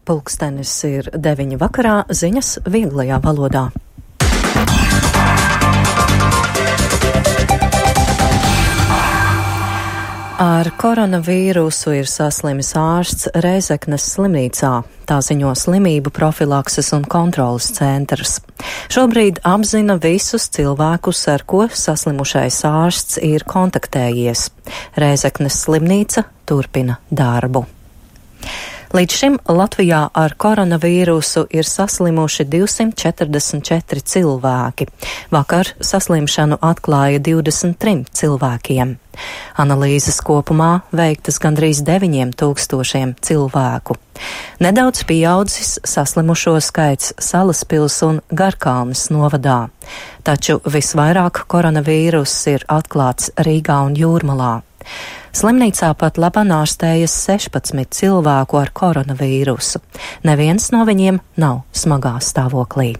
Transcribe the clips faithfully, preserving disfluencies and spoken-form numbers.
Pulkstenis ir deviņi vakarā, ziņas vieglajā valodā. Ar koronavīrusu ir saslimis ārsts Rēzeknes slimnīcā. Tā ziņo slimību profilakses un kontrolas centrs. Šobrīd apzina visus cilvēkus, ar ko saslimušais ārsts ir kontaktējies. Rēzeknes slimnīca turpina darbu. Līdz šim Latvijā ar koronavīrusu ir saslimuši divsimt četrdesmit četri cilvēki. Vakar saslimšanu atklāja divdesmit trim cilvēkiem. Analīzes kopumā veiktas gandrīz deviņiem tūkstošiem cilvēku. Nedaudz pieaudzis saslimušo skaits Salaspils un Garkalnes novadā. Taču visvairāk koronavīruss ir atklāts Rīgā un Jūrmalā. Slimnīcā pat labāk ārstējas sešpadsmit cilvēku ar koronavīrusu. Neviens no viņiem nav smagā stāvoklī.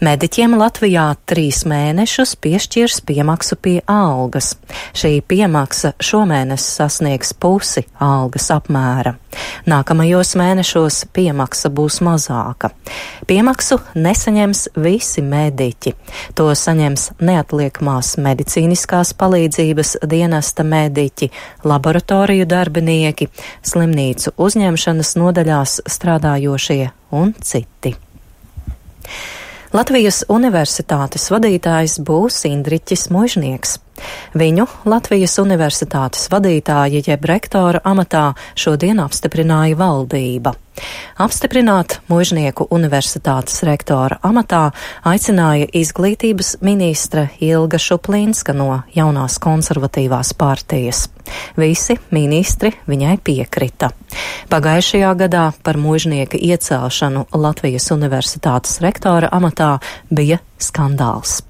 Mediķiem Latvijā trīs mēnešus piešķirs piemaksu pie algas. Šī piemaksa šomēnes sasniegs pusi algas apmēra. Nākamajos mēnešos piemaksa būs mazāka. Piemaksu nesaņems visi mediķi. To saņems neatliekamās medicīniskās palīdzības dienesta mediķi, laboratoriju darbinieki, slimnīcu uzņemšanas nodaļās strādājošie un citi. Latvijas Universitātes vadītājs būs Indriķis Muižnieks. Viņu Latvijas Universitātes vadītāja jeb rektora amatā šodien apstiprināja valdība. Apstiprināt Muižnieku universitātes rektora amatā aicināja izglītības ministre Ilga Šuplīnska no jaunās konservatīvās partijas. Visi ministri viņai piekrita. Pagājušajā gadā par Muižnieka iecelšanu Latvijas Universitātes rektora amatā bija skandāls.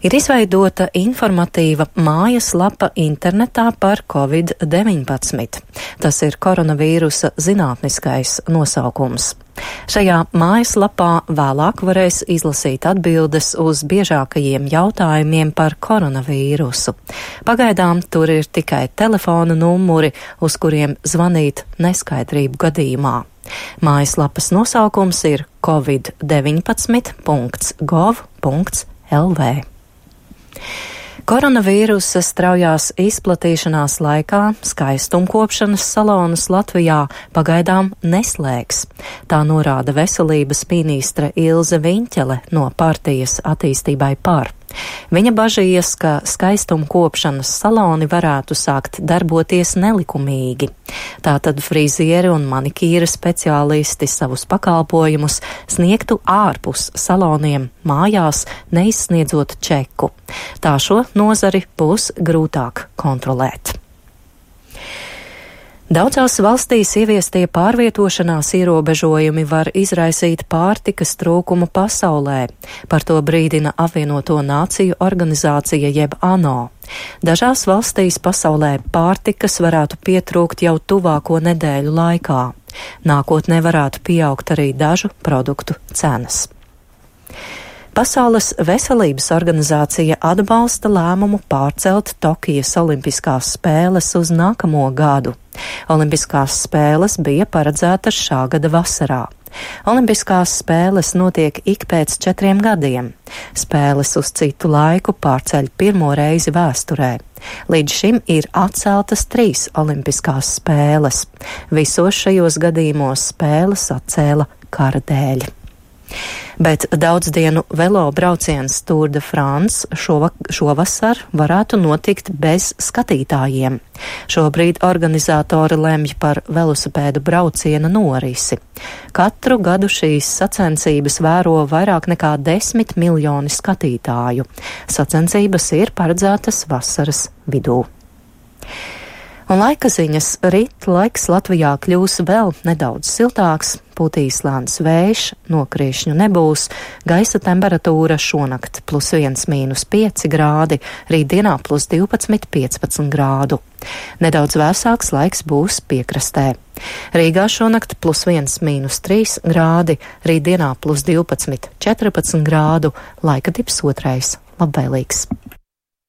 Ir izveidota informatīva mājaslapa internetā par covid deviņpadsmit. Tas ir koronavīrusa zinātniskais nosaukums. Šajā mājaslapā vēlāk varēs izlasīt atbildes uz biežākajiem jautājumiem par koronavīrusu. Pagaidām tur ir tikai telefona numuri, uz kuriem zvanīt neskaidrību gadījumā. Mājaslapas nosaukums ir covid deviņpadsmit punkts gov punkts lv. Koronavīrusa straujās izplatīšanās laikā skaistumkopšanas salonus Latvijā pagaidām neslēgs. Tā norāda veselības ministre Ilze Viņķele no partijas attīstībai par. Viņa bažījas, ka skaistumkopšanas saloni varētu sākt darboties nelikumīgi. Tātad frizieri un manikīra speciālisti savus pakalpojumus sniegtu ārpus saloniem mājās, neizsniedzot čeku. Tā šo nozari būs grūtāk kontrolēt. Daudzās valstīs ieviestie pārvietošanās ierobežojumi var izraisīt pārtikas trūkumu pasaulē. Par to brīdina Apvienoto Nāciju organizācija jeb ANO. Dažās valstīs pasaulē pārtikas varētu pietrūkt jau tuvāko nedēļu laikā. Nākotnē varētu pieaugt arī dažu produktu cenas. Pasaules veselības organizācija atbalsta lēmumu pārcelt Tokijas olimpiskās spēles uz nākamo gadu. Olimpiskās spēles bija paredzētas šā gada vasarā. Olimpiskās spēles notiek ik pēc četriem gadiem. Spēles uz citu laiku pārceļ pirmo reizi vēsturē. Līdz šim ir atceltas trīs olimpiskās spēles. Visos šajos gadījumos spēles atcēla kara dēļ. Bet daudzdienu velo brauciens Tour de France šovasar varētu notikt bez skatītājiem. Šobrīd organizatori lemj par velosipēdu brauciena norisi. Katru gadu šīs sacensības vēro vairāk nekā desmit miljoni skatītāju. Sacensības ir paredzētas vasaras vidū. Un laika ziņas rīt laiks Latvijā kļūs vēl nedaudz siltāks, pūtīs lēns vējš, nokriešņu nebūs, gaisa temperatūra šonakt plus viens mīnus pieci grādi, rītdienā plus divpadsmit piecpadsmit grādu. Nedaudz vēsāks laiks būs piekrastē. Rīgā šonakt plus viens mīnus trīs grādi, rītdienā plus divpadsmit četrpadsmit grādu, laika tips otrais labvēlīgs.